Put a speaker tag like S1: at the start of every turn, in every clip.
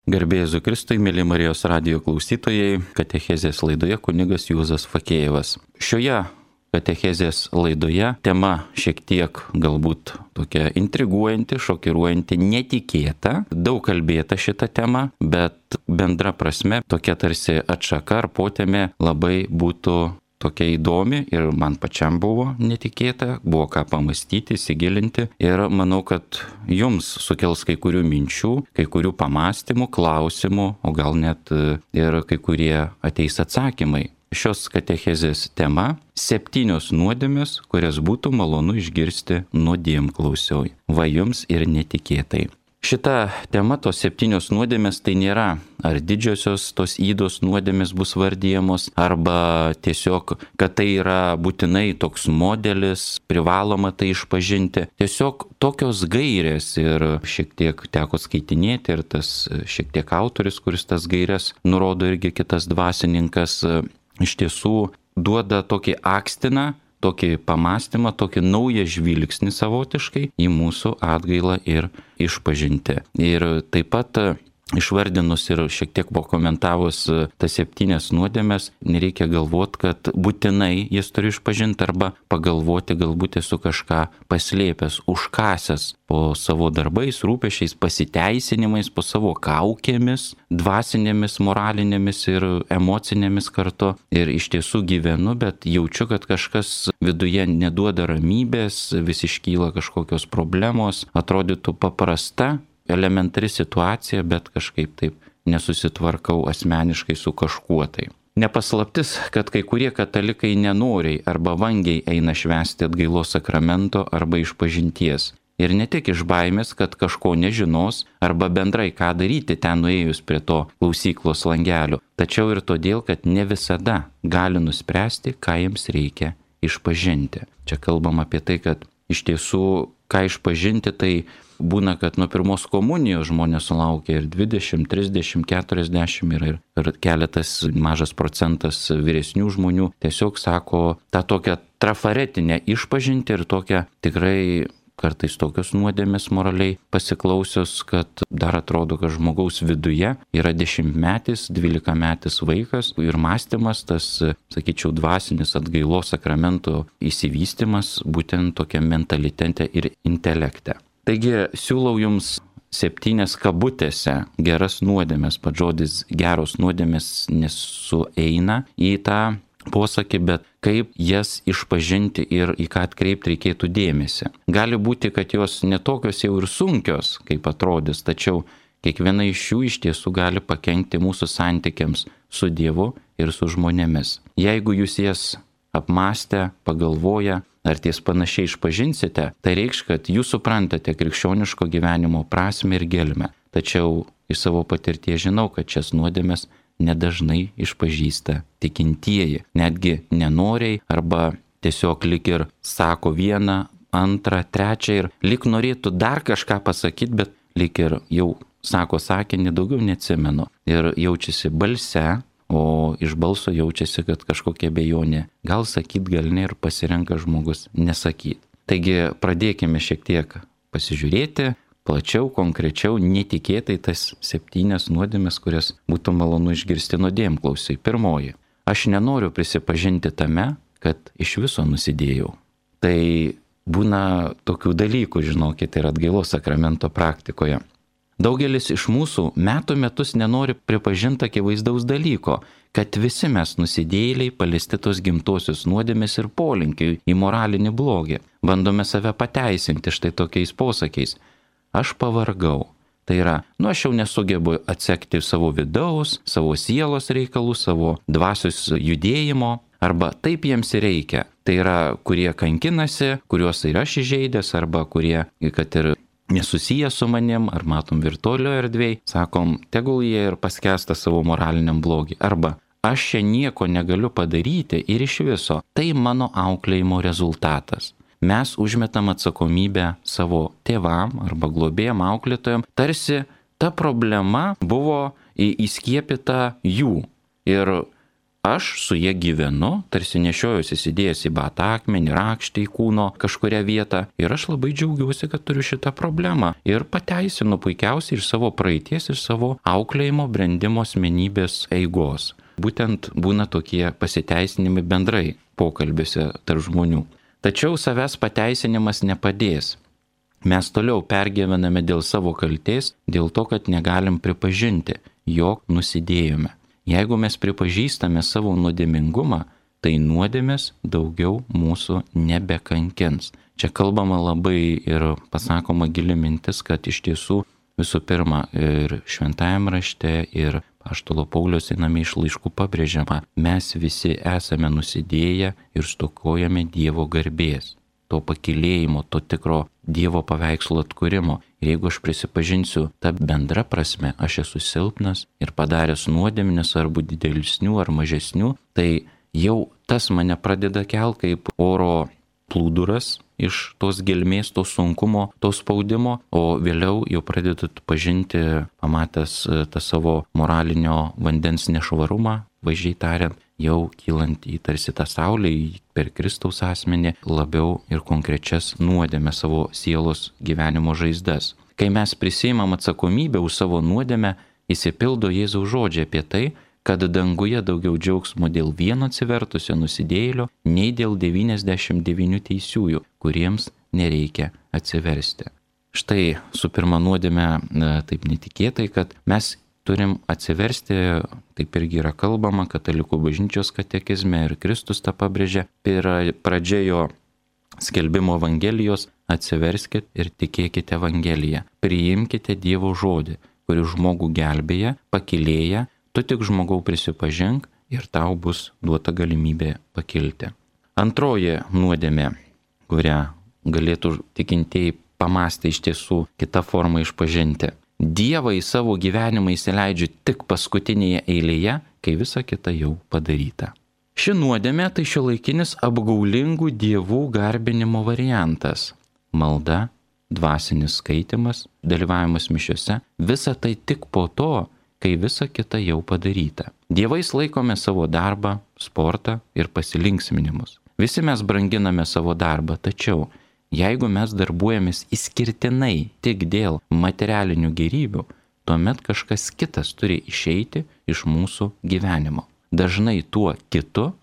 S1: Garbė Jėzui Kristui, mėly Marijos radijo klausytojai, katechezės laidoje kunigas Juozas Fakėjevas. Šioje katechezės laidoje tema šiek tiek galbūt tokia intriguojanti, šokiruojanti, netikėta. Daug kalbėta šitą temą, bet bendra prasme tokia tarsi atšaka ar potėmė labai būtų tokia įdomi ir man pačiam buvo netikėta, buvo ką pamastyti, įsigilinti ir manau, kad jums sukels kai kurių minčių, kai kurių pamastymų, klausimų, o gal net ir kai kurie ateis atsakymai. Šios katechezės tema - 7 nuodėmės, kurias būtų malonu išgirsti nuodėmklausioj. Va jums ir netikėtai. Šita tema, tos 7 nuodėmės, tai nėra ar didžiosios tos ydos nuodėmės bus vardyjamos, arba tiesiog, kad tai yra būtinai toks modelis, privaloma tai išpažinti. Tiesiog tokios gairės ir šiek tiek teko skaitinėti ir tas šiek tiek autoris, kuris tas gairias nurodo irgi kitas dvasininkas, iš tiesų duoda tokį akstiną, tokį pamastymą, tokį naują žvilgsnį savotiškai į mūsų atgailą ir išpažinti. Ir taip pat išvardinus ir šiek tiek pakomentavus tas 7 nuodėmes, nereikia galvoti, kad būtinai jas turi išpažinti arba pagalvoti, galbūt esu kažką paslėpęs, užkasęs po savo darbais, rūpesčiais, pasiteisinimais, po savo kaukėmis, dvasinėmis, moralinėmis ir emocinėmis kartu. Ir iš tiesų gyvenu, bet jaučiu, kad kažkas viduje neduoda ramybės, vis iškyla kažkokios problemos, atrodytų paprasta, elementari situacija, bet kažkaip taip nesusitvarkau asmeniškai su kažkuo tai. Nepaslaptis, kad kai kurie katalikai nenoriai arba vangiai eina švęsti atgailos sakramento arba išpažinties. Ir ne tik iš baimės, kad kažko nežinos arba bendrai ką daryti ten nuėjus prie to klausyklos langelio, tačiau ir todėl, kad ne visada gali nuspręsti, ką jiems reikia išpažinti. Čia kalbam apie tai, kad iš tiesų, ką išpažinti, tai būna, kad nuo pirmos komunijos žmonės sulaukia ir 20, 30, 40 ir keletas mažas procentas vyresnių žmonių tiesiog sako tą tokią trafaretinę išpažinti ir tokią tikrai kartais tokios nuodėmės moraliai pasiklausius, kad dar atrodo, kad žmogaus viduje yra 10-metis, 12-metis vaikas ir mąstymas, tas, sakyčiau, dvasinis atgailos sakramento įsivystymas būtent tokia mentalitete ir intelekte. Taigi siūlau jums 7 kabutėse geras nuodėmės, pats žodis geros nuodėmės nesueina į tą posakį, bet kaip jas išpažinti ir į ką atkreipti reikėtų dėmesį. Gali būti, kad jos netokios jau ir sunkios, kaip atrodys, tačiau kiekviena iš jų iš tiesų gali pakenkti mūsų santykiams su Dievu ir su žmonėmis. Jeigu jūs jas apmąstę, pagalvoję, ar ties panašiai išpažinsite, tai reikš, kad jūs suprantate krikščioniško gyvenimo prasmę ir gelmę. Tačiau iš savo patirties žinau, kad šias nuodėmes nedažnai išpažįsta tikintieji, netgi nenoriai arba tiesiog lik ir sako vieną, antrą, trečią ir lik norėtų dar kažką pasakyti, bet lik ir jau sako sakinį, daugiau neatsimenu ir jaučiasi balse, o iš balso jaučiasi, kad kažkokia abejonė gal sakyt, gal ne ir pasirenka žmogus nesakyti. Taigi pradėkime šiek tiek pasižiūrėti plačiau, konkrečiau, netikėtai tas 7 nuodėmes, kurias būtų malonu išgirsti nuodėmklausiai. Pirmoji. Aš nenoriu prisipažinti tame, kad iš viso nusidėjau. Tai būna tokių dalykų, žinokit, ir atgailos sakramento praktikoje. Daugelis iš mūsų metų metus nenori pripažinti akivaizdaus dalyko, kad visi mes nusidėjėliai paliesti tos gimtosios nuodėmės ir polinkiai į moralinį blogį. Bandome save pateisinti štai tokiais posakiais. Aš pavargau. Tai yra, aš jau nesugebu atsekti savo vidaus, savo sielos reikalų, savo dvasios judėjimo, arba taip jiems ir reikia. Tai yra, kurie kankinasi, kuriuos ir aš įžeidęs, arba kurie, kad ir nesusiję su manim, ar matom virtualioje erdvėje, sakom, tegul jie ir paskęsta savo moraliniam blogį. Arba, aš čia nieko negaliu padaryti ir iš viso, tai mano auklėjimo rezultatas. Mes užmetam atsakomybę savo tėvam arba globėjam, auklėtojam, tarsi ta problema buvo įskiepyta jų. Ir aš su jie gyvenu, tarsi nešiojuosi įsidėjęs į batą akmenį, rakštį į kūno kažkurią vietą ir aš labai džiaugiuosi, kad turiu šitą problemą ir pateisinu puikiausiai iš savo praeities, iš savo auklėjimo, brendimo asmenybės eigos. Būtent būna tokie pasiteisinimai bendrai pokalbiuose tarp žmonių. Tačiau savęs pateisinimas nepadės. Mes toliau pergyvename dėl savo kaltės, dėl to, kad negalim pripažinti, jog nusidėjome. Jeigu mes pripažįstame savo nuodėmingumą, tai nuodėmės daugiau mūsų nebekankins. Čia kalbama labai ir pasakoma gili mintis, kad iš tiesų visų pirma ir šventajame rašte, ir apaštalo Pauliaus einame iš laiškų pabrėžiama, mes visi esame nusidėję ir stokojame Dievo garbės, to pakylėjimo, to tikro Dievo paveikslo atkūrimo. Ir jeigu aš prisipažinsiu tą bendrą prasme, aš esu silpnas ir padaręs nuodėmių, nesvarbu didesnių ar mažesnių, tai jau tas mane pradeda kelti kaip oro plūduras iš tos gelmės, to sunkumo, to spaudimo, o vėliau jau pradedu pažinti, pamatęs tą savo moralinio vandens nešvarumą, vaizdžiai tariant, jau kylant į tarsi tą saulę, per Kristaus asmenį, labiau ir konkrečias nuodėmę savo sielos gyvenimo žaizdas. Kai mes prisiimam atsakomybę už savo nuodėmę, įsipildo Jėzaus žodžiai apie tai, kad danguje daugiau džiaugsmo dėl vieno atsivertusio nusidėjėlio, nei dėl 99 teisiųjų, kuriems nereikia atsiversti. Štai su pirma nuodėme taip netikėtai, kad mes turim atsiversti, taip irgi yra kalbama katalikų bažnyčios katekizme ir Kristus tą pabrėžia, pradžia jo skelbimo Evangelijos, atsiverskit ir tikėkite Evangeliją, priimkite Dievo žodį, kuris žmogų gelbėja, pakylėja, tu tik žmogau prisipažink ir tau bus duota galimybė pakilti. Antroji nuodėmė, kurią galėtų tikintieji pamąstę iš tiesų kitą formą išpažinti. Dievą į savo gyvenimą įsileidžiu tik paskutinėje eilėje, kai visa kita jau padaryta. Ši nuodėmė tai šiuolaikinis apgaulingų dievų garbinimo variantas. Malda, dvasinis skaitimas, dalyvavimas mišiose, visa tai tik po to, kai visa kita jau padaryta. Dievais laikome savo darbą, sportą ir pasilinksminimus. Visi mes branginame savo darbą, tačiau jeigu mes darbuojamės išskirtinai tik dėl materialinių gėrybių, tuomet kažkas kitas turi išeiti iš mūsų gyvenimo. Dažnai tuo kitu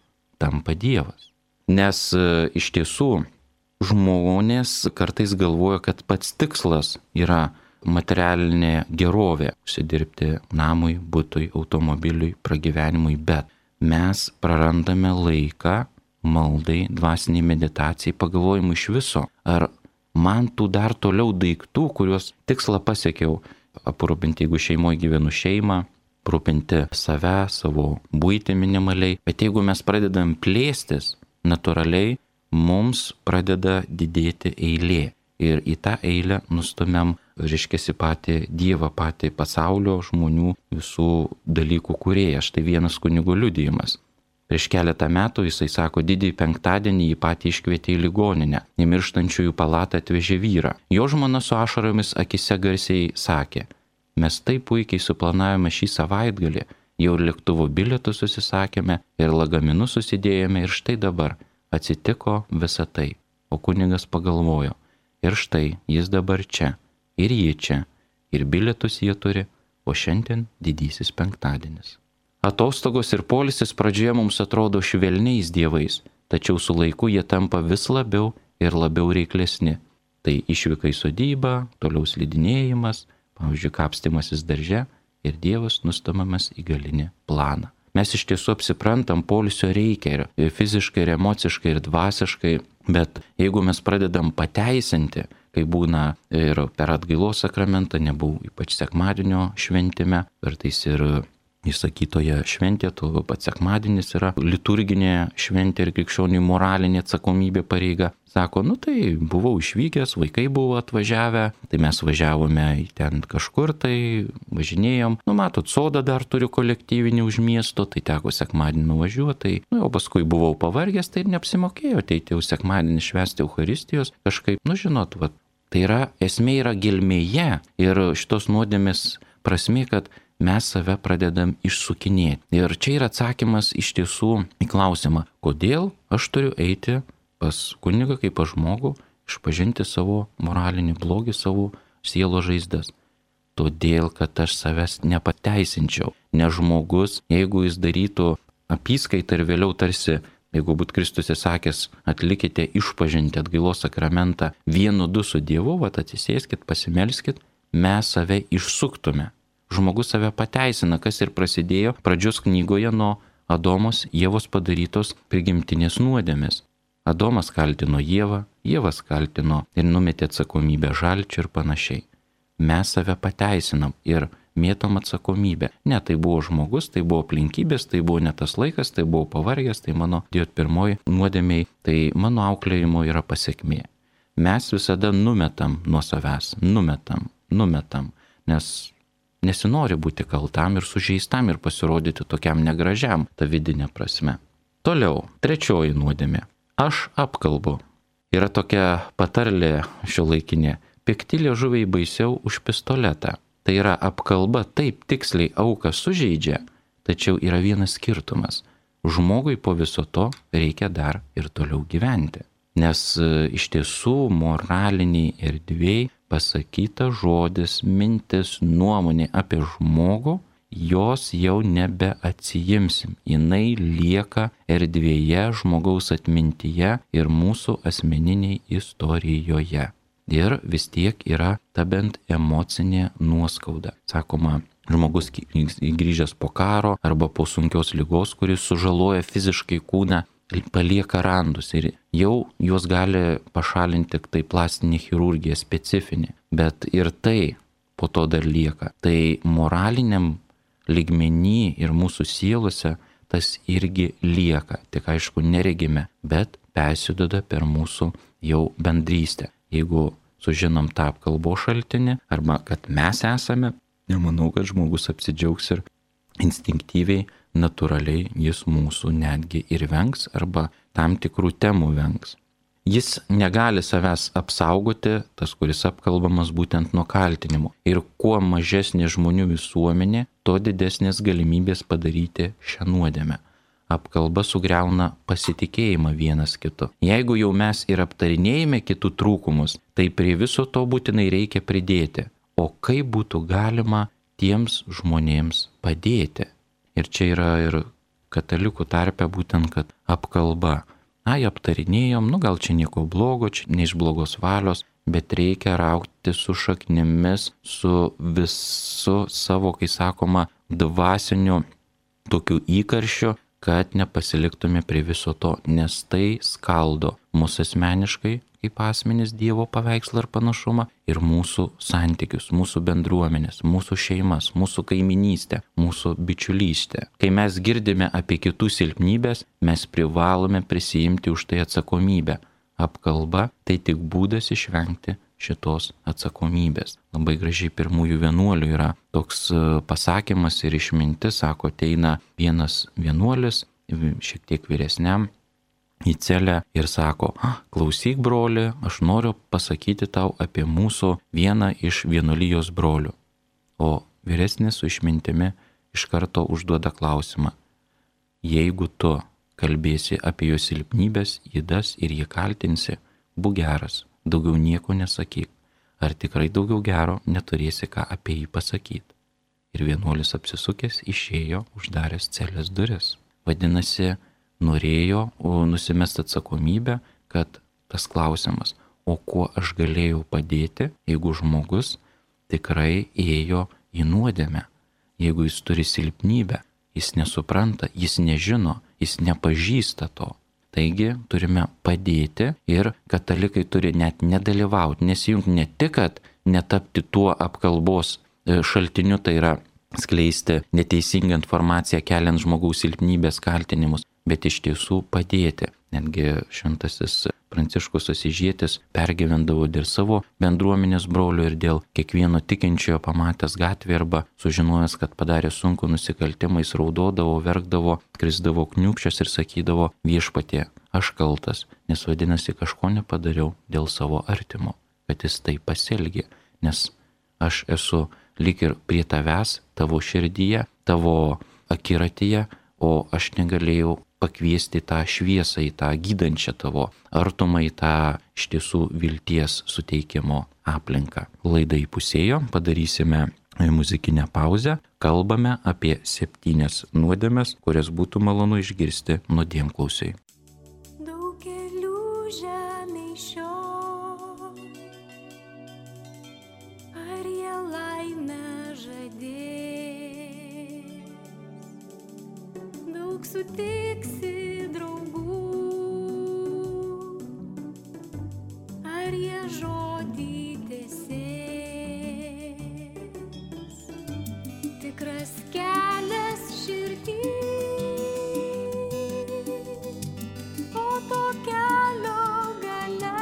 S1: tampa Dievas. Nes iš tiesų žmonės kartais galvoja, kad pats tikslas yra materialinė gerovė, užsidirbti namui, butui, automobiliui, pragyvenimui, bet mes prarandame laiką maldai, dvasiniai meditacijai, pagalvojimui iš viso, ar man tų dar toliau daiktų, kuriuos tikslą pasiekiau, aprūpinti, jeigu šeimoje gyvenu šeimą, aprūpinti save, savo buitį minimaliai, bet jeigu mes pradedam plėstis, natūraliai mums pradeda didėti eilė ir į tą eilę nustumiam, reiškiasi patį Dievą, patį pasaulio žmonių visų dalykų kūrėją. Štai vienas kunigo liudijimas. Prieš keletą metų jisai sako, didįjį penktadienį jį patį iškvietė į ligoninę, į mirštančiųjų palatą atvežė vyrą. Jo žmona su ašaromis akise garsiai sakė, mes taip puikiai suplanavome šį savaitgalį, jau lėktuvo bilietus susisakėme ir lagaminus susidėjome ir štai dabar atsitiko visa tai. O kunigas pagalvojo, ir štai jis dabar čia, ir jie čia, ir bilietus jie turi, o šiandien didysis penktadienis. Atostogos ir poilsis pradžioje mums atrodo švelniais dievais, tačiau su laiku jie tampa vis labiau ir labiau reiklesni. Tai išvyka į sodybą, toliau slidinėjimas, pavyzdžiui, kapstymasis darže ir Dievas nustumiamas į galinį planą. Mes iš tiesų apsiprantam, poilsio reikia ir fiziškai, ir emociškai, ir dvasiškai, bet jeigu mes pradedam pateisinti, kai būna ir per atgailos sakramentą, nebuvau ypač sekmadienio šventime, kartais ir įsakytoje šventė, to pats sekmadienis yra liturginė šventė ir krikščionių moralinė atsakomybė pareiga. Sako, tai buvau išvykęs, vaikai buvo atvažiavę, tai mes važiavome į ten kažkur, tai važinėjom. Matot, sodą dar turiu kolektyvinį už miesto, tai teko sekmadienį nuvažiuoti, o paskui buvau pavargęs, tai ir neapsimokėjo ateiti jau sekmadienį švęsti Eucharistijos, kažkaip, žinot, tai yra, esmė yra gelmėje ir šitos nuodėmės prasmė, kad mes save pradedam išsukinėti. Ir čia yra atsakymas iš tiesų į klausimą, kodėl aš turiu eiti pas kunigą kaip pas žmogų, išpažinti savo moralinį blogį, savo sielos žaizdas. Todėl, kad aš savęs nepateisinčiau. Nes žmogus, jeigu jis darytų apyskaitą ir vėliau tarsi, jeigu būtų Kristus įsakęs, atlikite išpažinti atgailos sakramentą 1-2 su Dievu, atsisėskit, pasimelskit, mes save išsuktume. Žmogus save pateisina, kas ir prasidėjo pradžios knygoje nuo Adomos Ievos padarytos prigimtinės nuodėmės. Adomas kaltino Ievą, Ievas kaltino ir numetė atsakomybę žalčių ir panašiai. Mes save pateisinam ir mėtom atsakomybę. Ne, tai buvo žmogus, tai buvo aplinkybės, tai buvo ne tas laikas, tai buvo pavargęs, tai mano pirmoji nuodėmiai, tai mano auklėjimo yra pasekmė. Mes visada numetam nuo savęs, numetam, nes nesinori būti kaltam ir sužeistam ir pasirodyti tokiam negražiam, ta vidinė prasme. Toliau, 3 nuodėmė. Aš apkalbu. Yra tokia patarlė šiuolaikinė. Pikti liežuviai baisiau už pistoletą. Tai yra apkalba taip tiksliai auką sužeidžia, tačiau yra vienas skirtumas. Žmogui po viso to reikia dar ir toliau gyventi. Nes iš tiesų moraliniai erdvėj pasakyta žodis, mintis, nuomonė apie žmogų, jos jau nebeatsijimsim. Jinai lieka erdvėje, žmogaus atmintyje ir mūsų asmeniniai istorijoje. Ir vis tiek yra ta bent emocinė nuoskauda. Sakoma, žmogus grįžęs po karo arba po sunkios ligos, kuris sužaloja fiziškai kūną, palieka randus ir jau juos gali pašalinti tik tai plastinė chirurgija specifinė. Bet ir tai po to dar lieka. Tai moraliniam lygmenį ir mūsų sielose tas irgi lieka. Tik aišku neregime, bet persiduoda per mūsų jau bendrystę. Jeigu sužinom tą apkalbos šaltinį, arba kad mes esame, nemanau, kad žmogus apsidžiaugs ir instinktyviai, natūraliai jis mūsų netgi ir vengs, arba tam tikrų temų vengs. Jis negali savęs apsaugoti, tas, kuris apkalbamas būtent nuo kaltinimų. Ir kuo mažesnė žmonių visuomenė, to didesnės galimybės padaryti šią nuodėmę. Apkalba sugriauna pasitikėjimą vienas kitu. Jeigu jau mes ir aptarinėjame kitų trūkumus, tai prie viso to būtinai reikia pridėti. O kaip būtų galima tiems žmonėms padėti? Ir čia yra ir katalikų tarpe būtent, kad apkalba. Aptarinėjom, gal čia nieko blogo, čia ne iš blogos valios, bet reikia raukti su šaknimis, su visu savo, kai sakoma, dvasiniu tokiu įkarščiu, kad nepasiliktume prie viso to, nes tai skaldo mūsų asmeniškai, kaip asmenys Dievo paveikslą ir panašumą, ir mūsų santykius, mūsų bendruomenės, mūsų šeimas, mūsų kaiminystę, mūsų bičiulystę. Kai mes girdime apie kitų silpnybės, mes privalome prisijimti už tai atsakomybę. Apkalba tai tik būdas išvengti šitos atsakomybės. Labai gražiai pirmųjų vienuolių yra toks pasakymas ir išmintis, sako, ateina vienas vienuolis, šiek tiek vyresniam, į celę ir sako, klausyk broli, aš noriu pasakyti tau apie mūsų vieną iš vienuolijos brolių. O vyresnis su išmintimi iš karto užduoda klausimą. Jeigu tu kalbėsi apie jo silpnybės, ydas ir jį kaltinsi, būk geras. Daugiau nieko nesakyk, ar tikrai daugiau gero neturėsi ką apie jį pasakyti. Ir vienuolis apsisukęs išėjo, uždaręs celės duris. Vadinasi, norėjo nusimesti atsakomybę, kad tas klausimas, o kuo aš galėjau padėti, jeigu žmogus tikrai ėjo į nuodėmę, jeigu jis turi silpnybę, jis nesupranta, jis nežino, jis nepažįsta to. Taigi turime padėti ir katalikai turi net nedalyvauti, nesijungti ne tik, kad netapti tuo apkalbos šaltiniu, tai yra skleisti neteisingą informaciją, keliant žmogaus silpnybės kaltinimus, bet iš tiesų padėti. Netgi šventasis Pranciškus Asyžietis pergyvendavo dėl savo bendruomenės brolių ir dėl kiekvieno tikinčiojo pamatęs gatvėje arba sužinojęs, kad padarė sunkų nusikaltimą, jis raudodavo, verkdavo, krisdavo kniūpsčias ir sakydavo, viešpatie, aš kaltas, nes vadinasi kažko nepadariau dėl savo artimo, kad jis taip pasielgė, nes aš esu lyg ir prie tavęs, tavo širdyje, tavo akiratyje, o aš negalėjau pakviesti tą šviesą, į tą gydančią tavo artumą, į tą iš tiesų vilties suteikimo aplinką. Laida įpusėjo, padarysime muzikinę pauzę, kalbame apie 7 nuodėmes, kurias būtų malonu išgirsti nuodėmklausiai.
S2: Daug kelių žemėj šio, ar jie laimę žadės, daug sutiksi draugų, ar jie žodį tesės, tikras kelias širdį, o to kelio gale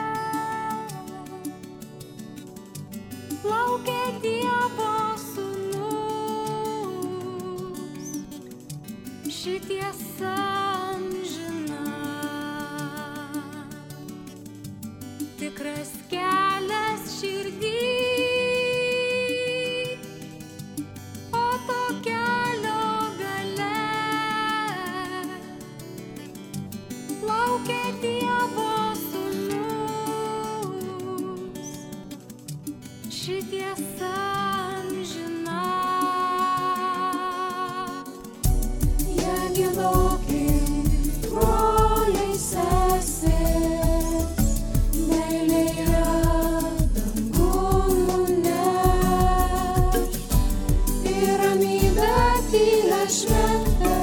S2: laukia Dievo sūnus, ši tiesa amžina, tikras kelias širdį, o to kelio gale laukia Dievo sūnus, ši tiesa amžina. Ja giedokim, broliai sesės, meilėje dangun nuneš, į ramybę tylią šventę,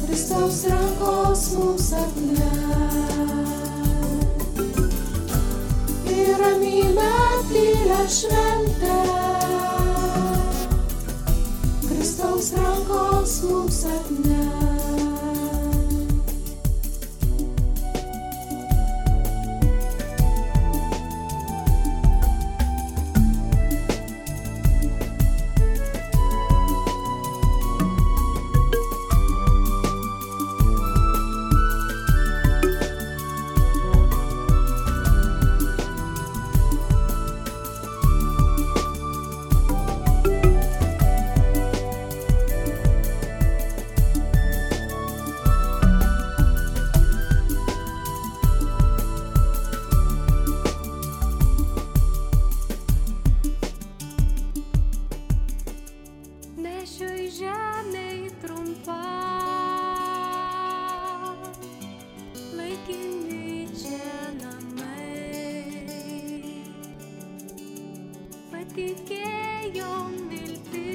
S2: Kristaus rankos mums atneš, į ramybę tylią šventę, Kristaus rankos mums atneš. Šioj žemėj trumpa, laikini čia namai, patikėjom viltį,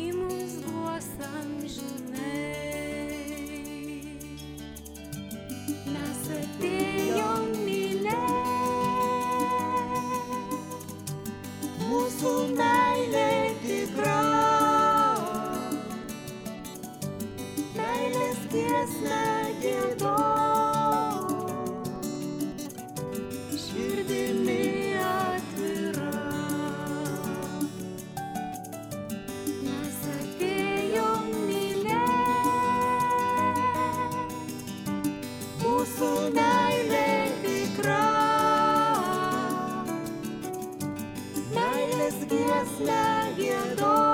S2: į mus duos amžinai, mes atėjom mūsų meilė tikra, meilės giesmę giedok, širdimi atvira, mes atėjom mylėt, mūsų meilė tikra. Giesmę giedok,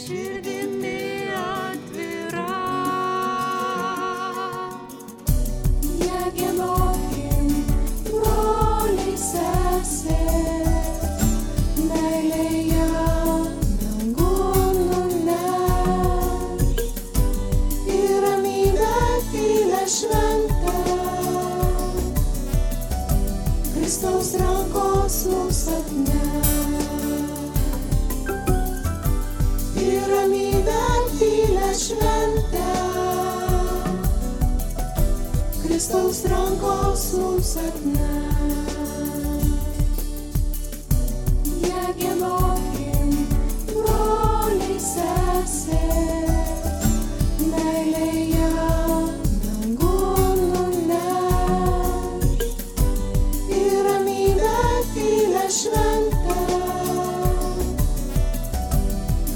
S2: širdimi atvira. Ja giedokim, broliai sesės, meilėje dangun nuneš, į ramybę tylią šventę, Kristaus rankos mums atneš, į ramybę tylią šventę, Kristaus rankos mums atneš. Ja giedokim, broliai sesės, meilėje dangun nuneš, į ramybę tylią šventę,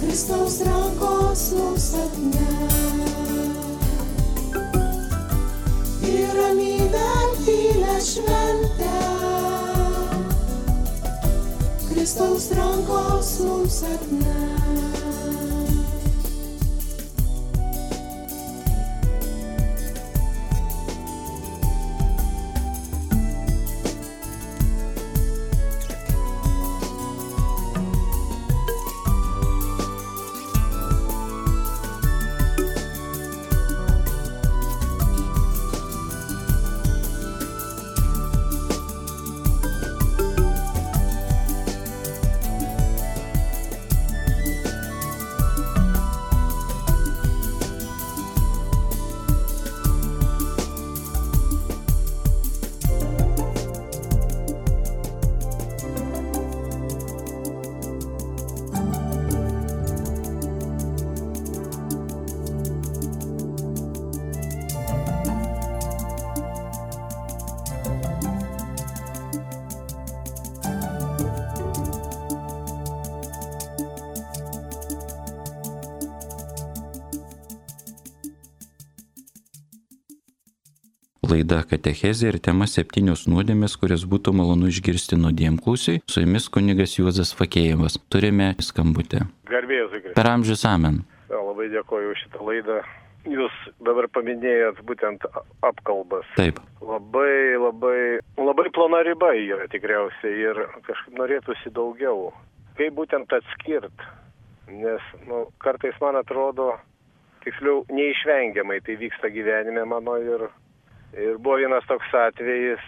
S2: Kristaus rankos mums atneš, į ramybę šventę. Kristaus rankos mums atneš.
S1: Laida Katechezė ir tema 7 nuodėmės, kurias būtų malonu išgirsti nuodėmklausiui. Su jumis kunigas Juozas Fakėjevas. Turime skambutę.
S3: Garbėjus, Zikri.
S1: Per amžius amen.
S3: Labai dėkoju už šitą laidą. Jūs dabar paminėjot būtent apkalbas.
S1: Taip.
S3: Labai plona riba yra tikriausiai ir kažkaip norėtųsi daugiau. Kaip būtent atskirt? Nes kartais man atrodo, tiksliau neišvengiamai tai vyksta gyvenime mano ir buvo vienas toks atvejis,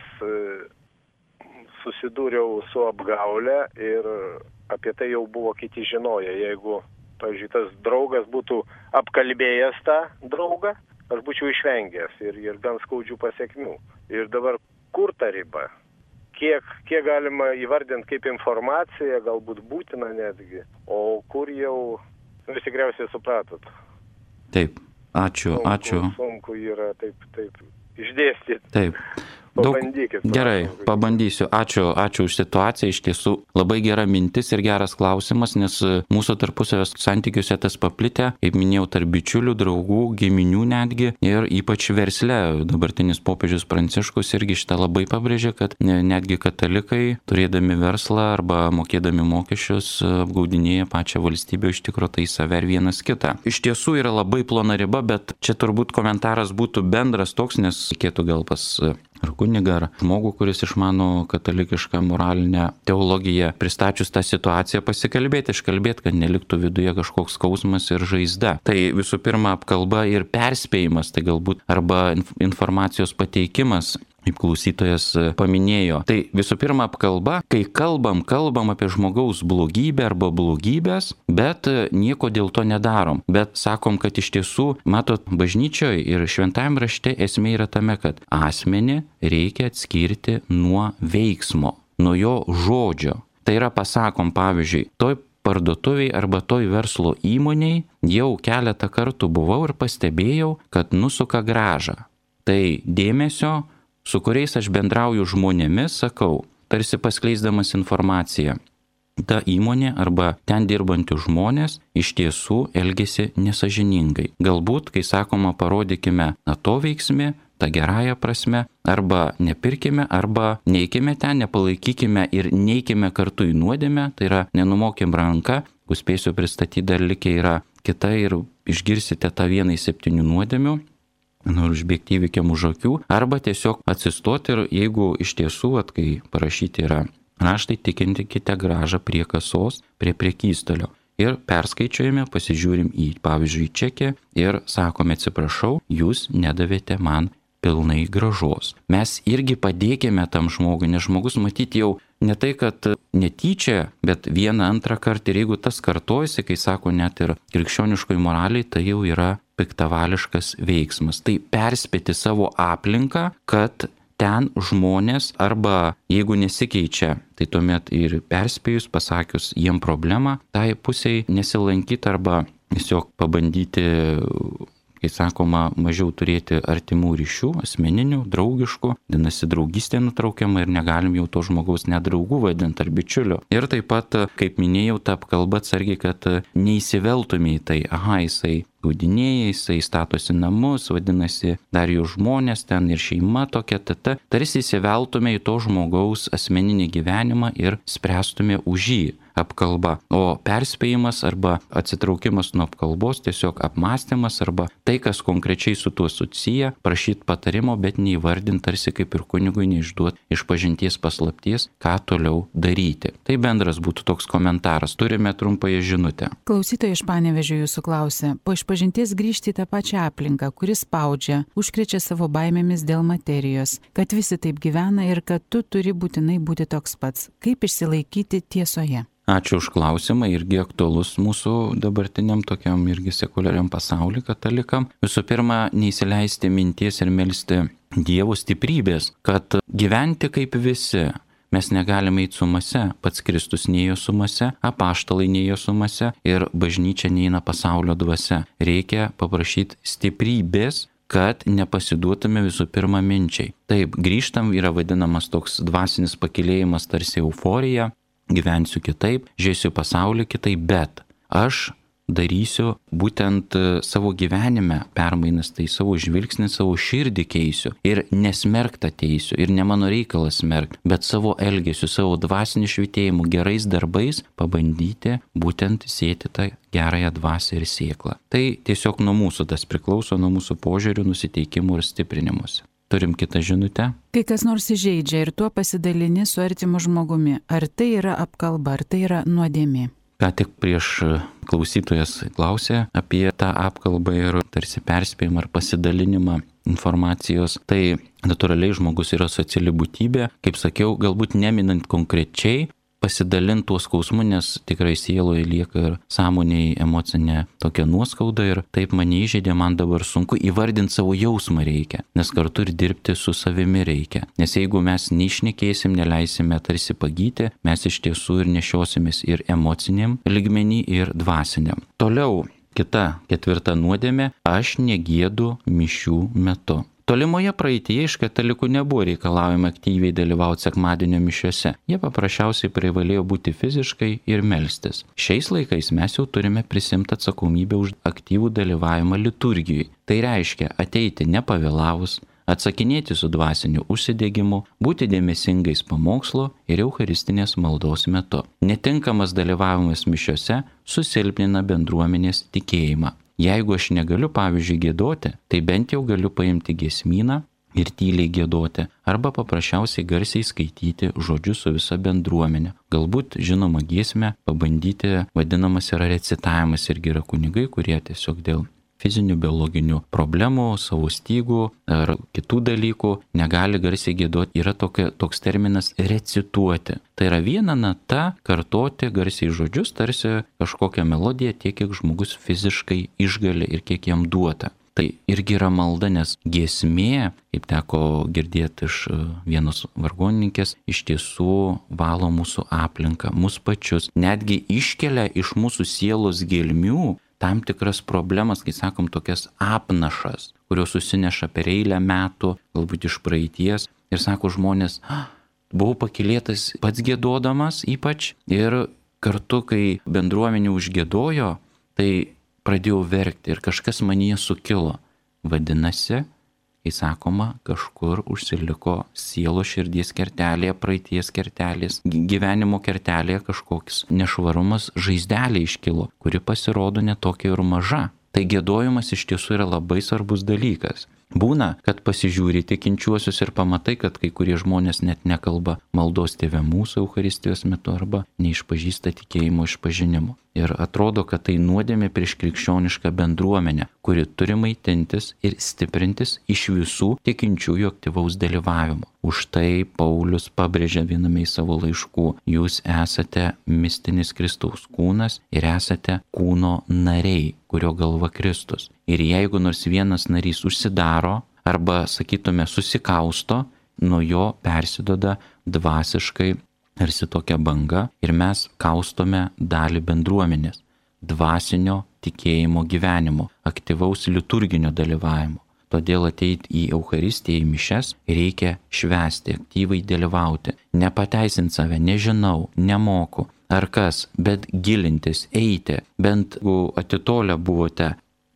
S3: susidūriau su apgaule ir apie tai jau buvo kiti žinoję. Jeigu, pavyzdžiui, tas draugas būtų apkalbėjęs tą draugą, aš būčiau išvengęs ir gan skaudžių pasekmių. Ir dabar kur ta riba? Kiek galima įvardinti kaip informacija, galbūt būtina netgi, o kur jau, jūs tikriausiai supratot.
S1: Taip, ačiū.
S3: Sunku yra taip išdėstyti.
S1: Taip.
S3: Pabandykit.
S1: Gerai, pabandysiu. Ačiū už situaciją. Iš tiesų labai gera mintis ir geras klausimas, nes mūsų tarpusavio santykiuose tas paplitę, kaip minėjau, tarp bičiulių, draugų, giminių netgi ir ypač versle. Dabartinis popiežius Pranciškus irgi šitą labai pabrėžė, kad netgi katalikai, turėdami verslą arba mokėdami mokesčius, apgaudinėja pačią valstybę, iš tikro tai save ir vienas kitą. Iš tiesų yra labai plona riba, bet čia turbūt komentaras būtų bendras toks, nes reikėtų gal pas ar kunigą, ar žmogų, kuris išmano katalikišką moralinę teologiją, pristačius tą situaciją pasikalbėti, iškalbėti, kad neliktų viduje kažkoks skausmas ir žaizda. Tai visų pirma apkalba ir perspėjimas, tai galbūt arba informacijos pateikimas, kaip klausytojas paminėjo. Tai visų pirma apkalba, kai kalbam apie žmogaus blogybę arba blogybės, bet nieko dėl to nedarom. Bet sakom, kad iš tiesų, matot, bažnyčioje ir šventajame rašte esmė yra tame, kad asmenį reikia atskirti nuo veiksmo, nuo jo žodžio. Tai yra pasakom, pavyzdžiui, toj parduotuviai arba toj verslo įmoniai jau keletą kartų buvau ir pastebėjau, kad nusuka grąžą. Tai dėmesio, su kuriais aš bendrauju žmonėmis, sakau, tarsi paskleisdamas informaciją. Ta įmonė arba ten dirbantys žmonės iš tiesų elgesi nesažiningai. Galbūt, kai sakoma, parodykime atoveiksmį, tą gerąją prasme, arba nepirkime, arba neikime ten, nepalaikykime ir neikime kartu į nuodėmę, tai yra nenumokim ranką, spėsiu pristatyti dar likę yra kita ir išgirsite tą vieną iš 7 nuodėmių. Noriu užbėgti įvykiam už akių, arba tiesiog atsistoti ir jeigu iš tiesų, kai parašyti yra raštai, tikinkite grąžą prie kasos, prie prekystalio. Ir perskaičiuojame, pasižiūrim į, pavyzdžiui, čekį ir sakome, atsiprašau, jūs nedavėte man pilnai grąžos. Mes irgi padėkime tam žmogui, nes žmogus matyti jau ne tai, kad netyčia, bet vieną, antrą kartą ir jeigu tas kartojasi, kai sako net ir krikščioniškoj moraliai, tai jau yra piktavališkas veiksmas. Tai perspėti savo aplinką, kad ten žmonės arba jeigu nesikeičia, tai tuomet ir perspėjus, pasakius jiem problemą, tai pusiai nesilankyti arba tiesiog pabandyti, kai sakoma, mažiau turėti artimų ryšių, asmeninių, draugiškų, vadinasi, draugystė nutraukiama ir negalim jau to žmogaus nedraugų vadinti ar bičiuliu. Ir taip pat, kaip minėjau, ta apkalba atsargiai, kad neįsiveltume į tai, jisai gaudinėja, jisai statosi namus, vadinasi, dar jų žmonės ten ir šeima tokia, tarsi įsiveltume į to žmogaus asmeninį gyvenimą ir spręstume už jį. Apkalba, o perspėjimas arba atsitraukimas nuo apkalbos, tiesiog apmąstymas arba tai, kas konkrečiai su tuo susiję, prašyti patarimo, bet neįvardinti tarsi kaip ir kunigui neišduoti išpažinties paslapties, ką toliau daryti. Tai bendras būtų toks komentaras. Turime trumpąją žinutę.
S4: Klausytojai iš Panevėžio jūsų klausia, po išpažinties grįžti į tą pačią aplinką, kuris spaudžia, užkrečia savo baimėmis dėl materijos, kad visi taip gyvena ir kad tu turi būtinai būti toks pats. Kaip išsilaikyti tiesoje?
S1: Ačiū už klausimą, irgi aktualus mūsų dabartiniam tokiam irgi sekuliariam pasauliu katalikam. Visų pirma, neįsileisti minties ir melsti Dievo stiprybės, kad gyventi kaip visi. Mes negalime eiti su mase, pats Kristus neėjo su mase, apaštalai neėjo su mase ir bažnyčia neina pasaulio dvasia. Reikia paprašyti stiprybės, kad nepasiduotume visų pirma minčiai. Taip, grįžtam, yra vadinamas toks dvasinis pakilėjimas, tarsi euforija. Gyvensiu kitaip, žiūrėsiu pasaulį kitaip, bet aš darysiu būtent savo gyvenime permainas, tai savo žvilgsnį, savo širdį keisiu ir nesmerktą teisiu ir ne mano reikalas smerkti, bet savo elgesiu, savo dvasiniu švitėjimu, gerais darbais pabandyti būtent sėti tą gerąją dvasią ir sėklą. Tai tiesiog nuo mūsų tas priklauso, nuo mūsų požiūrių, nusiteikimų ir stiprinimuose. Turim kitą žinutę.
S4: Kai kas nors įžeidžia ir tuo pasidalini su artimu žmogumi, ar tai yra apkalba, ar tai yra nuodėmė?
S1: Ką tik prieš klausytojas klausė apie tą apkalbą ir tarsi perspėjimą ar pasidalinimą informacijos. Tai natūraliai žmogus yra sociali būtybė, kaip sakiau, galbūt neminant konkrečiai, pasidalinti tuo skausmu, nes tikrai sieloje lieka ir sąmoniai emocinė tokia nuoskauda ir taip mane įžeidė, man dabar sunku įvardinti savo jausmą reikia, nes kartu ir dirbti su savimi reikia. Nes jeigu mes neišnekėsim, neleisime tarsi pagyti, mes iš tiesų ir nešiosimės ir emociniam lygmenį, ir dvasiniam. Toliau, kita ketvirta nuodėmė, aš negiedu mišių metu. Tolimoje praeityje iš katalikų nebuvo reikalaujama aktyviai dalyvauti sekmadienio mišiose. Jie paprasčiausiai privalėjo būti fiziškai ir melstis. Šiais laikais mes jau turime prisimti atsakomybę už aktyvų dalyvavimą liturgijai. Tai reiškia ateiti nepavėlavus, atsakinėti su dvasiniu užsidegimu, būti dėmesingais pamokslo ir eucharistinės maldos metu. Netinkamas dalyvavimas mišiose susilpnina bendruomenės tikėjimą. Jeigu aš negaliu, pavyzdžiui, giedoti, tai bent jau galiu paimti giesmyną ir tyliai giedoti, arba paprasčiausiai garsiai skaityti žodžius su visa bendruomenė. Galbūt, žinoma, giesmę pabandyti, vadinamas yra recitavimas, irgi yra kunigai, kurie tiesiog dėl fizinių, biologinių problemų, savo stygų ar kitų dalykų negali garsiai giedoti. Yra toks terminas recituoti. Tai yra viena nata kartoti garsiai žodžius, tarsi kažkokią melodiją tiek, kiek žmogus fiziškai išgali ir kiek jam duota. Tai irgi yra malda, nes giesmė, kaip teko girdėti iš vienos vargonininkės, iš tiesų valo mūsų aplinką, mūsų pačius, netgi iškelia iš mūsų sielos gelmių tam tikras problemas, kai sakom, tokias apnašas, kurios susineša per eilę metų, galbūt iš praeities. Ir sako žmonės, buvau pakylėtas pats giedodamas ypač ir kartu, kai bendruomenė užgiedojo, tai pradėjau verkti ir kažkas manyje sukilo. Vadinasi, kai sakoma, kažkur užsiliko sielos širdies kertelėje, praeities kertelės, gyvenimo kertelėje kažkoks nešvarumas, žaizdelė iškilo, kuri pasirodo netokia ir maža. Tai giedojimas iš tiesų yra labai svarbus dalykas. Būna, kad pasižiūri tikinčiuosius ir pamatai, kad kai kurie žmonės net nekalba maldos Tėve mūsų Eucharistijos metu arba neišpažįsta tikėjimo išpažinimo. Ir atrodo, kad tai nuodėmė prieš krikščionišką bendruomenę, kuri turi maitintis ir stiprintis iš visų tikinčiųjų aktyvaus dalyvavimo. Už tai Paulius pabrėžia viename iš savo laiškų, jūs esate mistinis Kristaus kūnas ir esate kūno nariai, kurio galva Kristus. Ir jeigu nors vienas narys užsidaro arba, sakytume, susikausto, nuo jo persidoda dvasiškai tarsi tokia banga ir mes kaustome dalį bendruomenės, dvasinio tikėjimo gyvenimo, aktyvaus liturginio dalyvavimo. Todėl ateiti į Eucharistiją, į mišias reikia švęsti, aktyviai dalyvauti, nepateisinti save, nežinau, nemoku, ar kas, bet gilintis, eiti, bent jeigu atitolę buvote,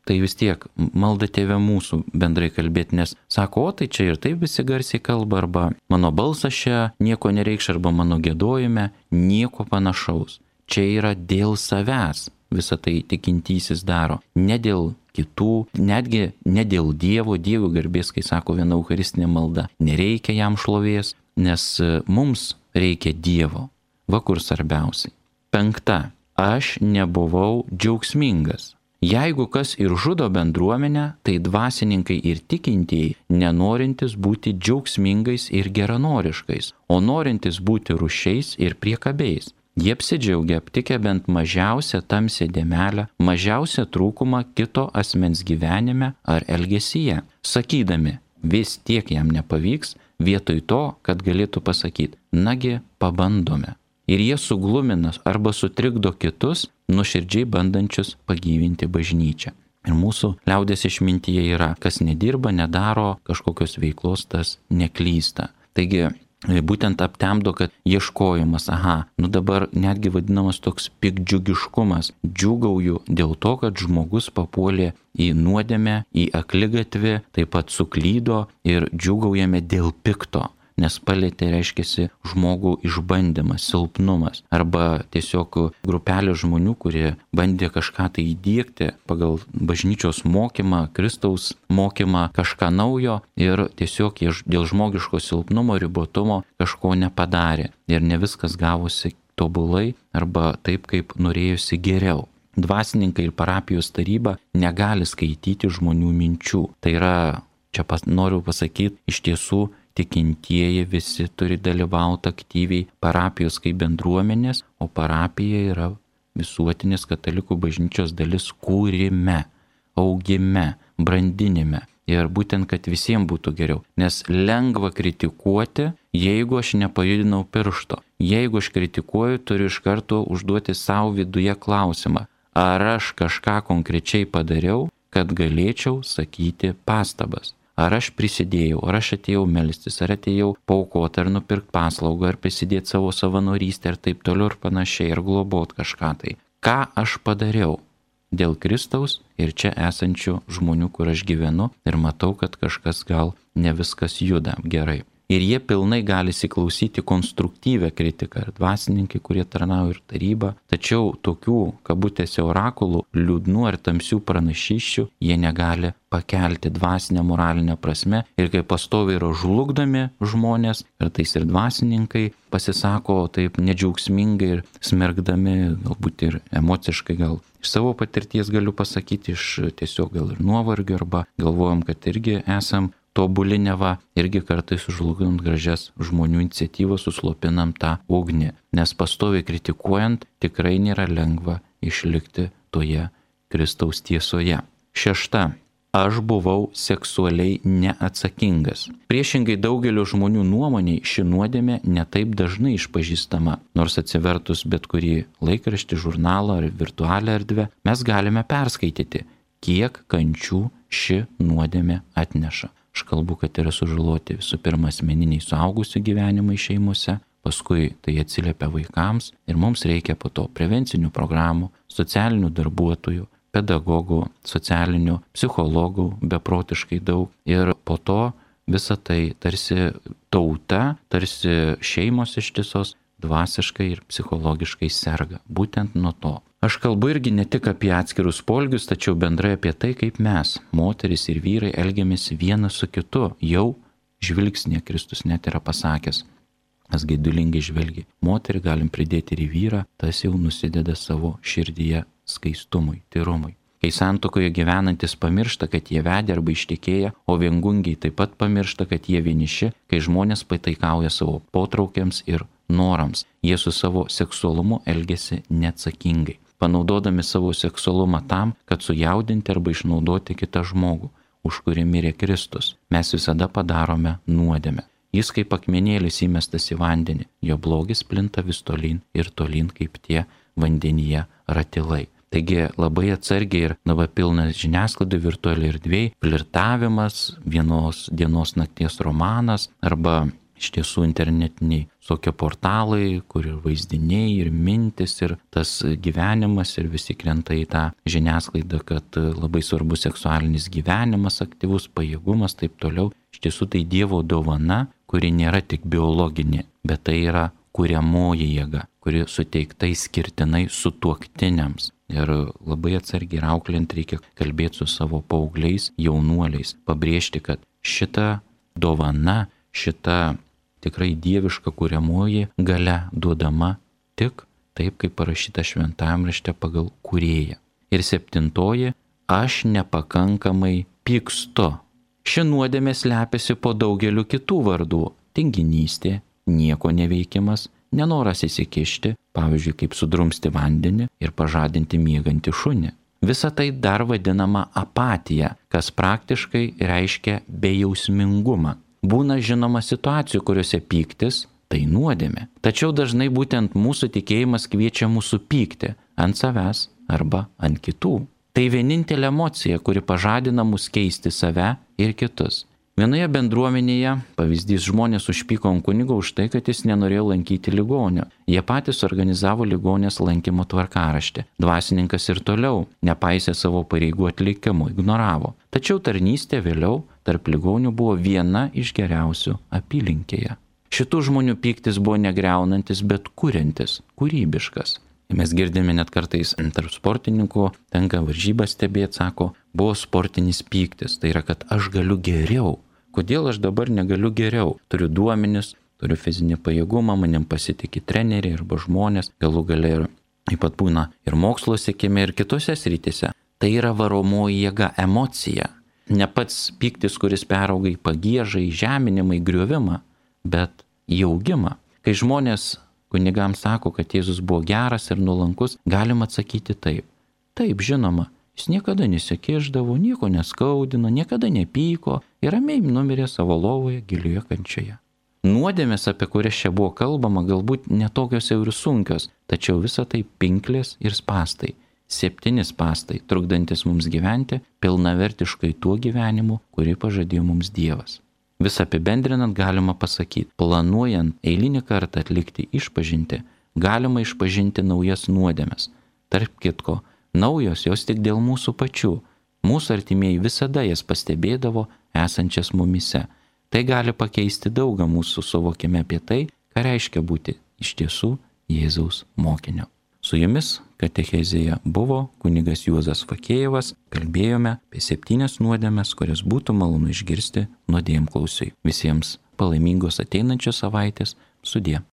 S1: tai vis tiek malda Tėve mūsų bendrai kalbėti, nes sako, o tai čia ir taip visi garsiai kalba, arba mano balsas čia nieko nereikš, arba mano giedojime nieko panašaus. Čia yra dėl savęs visą tai tikintysis daro, ne dėl kitų, netgi ne dėl Dievo garbės, kai sako viena eucharistinė malda, nereikia jam šlovės, nes mums reikia Dievo, va kur svarbiausiai. 5. Aš nebuvau džiaugsmingas. Jeigu kas ir žudo bendruomenę, tai dvasininkai ir tikintieji, nenorintis būti džiaugsmingais ir geranoriškais, o norintis būti rūsčiais ir priekabiais. Jie apsidžiaugia aptikę bent mažiausią tamsią dėmelę, mažiausią trūkumą kito asmens gyvenime ar elgesyje, sakydami, vis tiek jam nepavyks, vietoj to, kad galėtų pasakyti, nagi pabandome. Ir jie suglumina arba sutrikdo kitus, nuoširdžiai bandančius pagyvinti bažnyčią. Ir mūsų liaudės išmintyje yra, kas nedirba, nedaro kažkokios veiklos, tas neklysta. Taigi, būtent aptemdo, kad ieškojimas, dabar netgi vadinamas toks piktdžiugiškumas. Džiūgauju dėl to, kad žmogus papuolė į nuodėmę, į akligatvį, taip pat suklydo ir džiūgaujame dėl pikto, nes palėtė reiškiasi žmogų išbandymas, silpnumas arba tiesiog grupelė žmonių, kurie bandė kažką tai įdiegti pagal bažnyčios mokymą, Kristaus mokymą, kažką naujo ir tiesiog dėl žmogiško silpnumo, ribotumo kažko nepadarė ir ne viskas gavosi tobulai arba taip, kaip norėjusi geriau. Dvasininkai ir parapijos taryba negali skaityti žmonių minčių. Tai yra, čia noriu pasakyti, iš tiesų tikintieji visi turi dalyvauti aktyviai parapijos kaip bendruomenės, o parapija yra visuotinės katalikų bažnyčios dalis kūrime, augime, brandinime. Ir būtent, kad visiems būtų geriau. Nes lengva kritikuoti, jeigu aš nepajudinau piršto. Jeigu aš kritikuoju, turiu iš karto užduoti savo viduje klausimą, ar aš kažką konkrečiai padariau, kad galėčiau sakyti pastabas. Ar aš prisidėjau, ar aš atėjau melstis, ar atėjau paaukoti, ar nupirkti paslaugą, ar prisidėti savo savanorystę ir taip toliau ir panašiai, ar globot kažką tai. Ką aš padariau dėl Kristaus ir čia esančių žmonių, kur aš gyvenu ir matau, kad kažkas gal ne viskas juda gerai. Ir jie pilnai gali įsiklausyti konstruktyvę kritiką, ir dvasininkai, kurie tarnauja ir taryba, tačiau tokių, kabutėse orakulų, liūdnų ar tamsių pranašysčių jie negali pakelti dvasinę, moralinę prasme ir kai pastoviai yra žlugdomi žmonės, kartais ir dvasininkai pasisako taip nedžiaugsmingai ir smergdami, galbūt ir emociškai gal. Iš savo patirties galiu pasakyti, iš tiesiog gal ir nuovargio arba galvojam, kad irgi esam tobulineva, irgi kartais sužlugdant gražias žmonių iniciatyvas, suslopinam tą ugnį, nes pastoviai kritikuojant tikrai nėra lengva išlikti toje Kristaus tiesoje. 6. Aš buvau seksualiai neatsakingas. Priešingai daugelio žmonių nuomoniai ši nuodėmė netaip dažnai išpažįstama, nors atsivertus bet kurį laikraštį, žurnalą ar virtualią erdvę, mes galime perskaityti, kiek kančių ši nuodėmė atneša. Aš kalbu, kad yra sužaloti visų pirma asmeniniai suaugusių gyvenimai šeimose, paskui tai atsiliepia vaikams ir mums reikia po to prevencinių programų, socialinių darbuotojų, pedagogų, socialinių, psichologų beprotiškai daug ir po to visa tai tarsi tauta, tarsi šeimos ištisos dvasiškai ir psichologiškai serga, būtent nuo to. Aš kalbu irgi ne tik apie atskirus polgius, tačiau bendrai apie tai, kaip mes, moteris ir vyrai, elgiamės vienas su kitu. Jau žvilgsnė Kristus net yra pasakęs, mes gaidulingai žvelgi. Moterį galim pridėti ir į vyrą, tas jau nusideda savo širdyje skaistumui, tyrumui. Kai santuokoje gyvenantis pamiršta, kad jie vedė arba ištekėję, o viengungiai taip pat pamiršta, kad jie vieniši, kai žmonės pataikauja savo potraukiams ir norams, jie su savo seksualumu elgiasi neatsakingai, panaudodami savo seksualumą tam, kad sujaudinti arba išnaudoti kitą žmogų, už kurį mirė Kristus. Mes visada padarome nuodėmę. Jis kaip akmenėlis įmestas į vandenį, jo blogis plinta vis tolyn ir tolyn kaip tie vandenyje ratilai. Taigi labai atsargiai ir dabar pilnas žiniasklaidai, virtualiai erdvėj, flirtavimas, vienos dienos nakties romanas arba iš tiesų internetiniai tokie portalai, kur ir vaizdiniai, ir mintis, ir tas gyvenimas, ir visi krenta į tą žiniasklaidą, kad labai svarbus seksualinis gyvenimas, aktyvus pajėgumas, taip toliau. Iš tiesų tai Dievo dovana, kuri nėra tik biologinė, bet tai yra kuriamoji jėga, kuri suteikta išskirtinai sutuoktiniams. Ir labai atsargiai ir auklint reikia kalbėti su savo paaugliais, jaunuoliais, pabrėžti, kad šita dovana, šita tikrai dieviška kuriamoji galia duodama tik taip, kaip parašyta šventajame rašte pagal kūrėją. Ir 7. Aš nepakankamai pykstu. Ši nuodėmė slepiasi po daugeliu kitų vardų - tinginystė, nieko neveikimas, nenoras įsikišti, pavyzdžiui, kaip sudrumsti vandenį ir pažadinti miegantį šunį. Visa tai dar vadinama apatija, kas praktiškai reiškia bejausmingumą. Būna žinoma situacijų, kuriuose pyktis - tai nuodėmė. Tačiau dažnai būtent mūsų tikėjimas kviečia mūsų pykti ant savęs arba ant kitų. Tai vienintelė emocija, kuri pažadina mus keisti save ir kitus. Vienoje bendruomenėje pavyzdys žmonės užpyko ant kunigo už tai, kad jis nenorėjo lankyti ligonio. Jie patys organizavo ligonės lankymo tvarkaraštį. Dvasininkas ir toliau nepaisė savo pareigų atlikimo, ignoravo. Tačiau tarnystė vėliau tarp ligonių buvo viena iš geriausių apylinkėje. Šitų žmonių pyktis buvo negriaunantis, bet kuriantis, kūrybiškas. Mes girdime net kartais tarp sportininkų, tenka varžybas stebėti, sako, buvo sportinis pyktis. Tai yra, kad aš galiu geriau. Kodėl aš dabar negaliu geriau? Turiu duomenis, turiu fizinį pajėgumą, manim pasitikė treneriai arba žmonės, galų gale ir taip pat būna ir mokslo sėkime ir kitose srityse. Tai yra varomoji jėga, emocija. Ne pats pyktis, kuris perauga į pagiežą, į žeminimą, į griovimą, bet į augimą. Kai žmonės kunigams sako, kad Jėzus buvo geras ir nuolankus, galima atsakyti taip. Taip, žinoma, jis niekada nesikišdavo, nieko neskaudino, niekada nepyko ir ramiai numirė savo lovoje gilioje kančioje. Nuodėmės, apie kurias čia buvo kalbama, galbūt netokios jau ir sunkios, tačiau visa tai pinklės ir spastai. 7 spastai, trukdantis mums gyventi pilnavertiškai tuo gyvenimu, kurį pažadėjo mums Dievas. Visą apibendrinant galima pasakyti, planuojant eilinį kartą atlikti išpažintį, galima išpažinti naujas nuodėmes. Tarp kitko, naujos jos tik dėl mūsų pačių. Mūsų artimieji visada jas pastebėdavo esančias mumyse. Tai gali pakeisti daugą mūsų suvokime apie tai, ką reiškia būti iš tiesų Jėzaus mokiniu. Su jumis katechezėje buvo kunigas Juozas Fakėjevas, kalbėjome apie 7 nuodėmes, kurias būtų malonu išgirsti nuodėmklausiui. Visiems palaimingos ateinančios savaitės, sudie.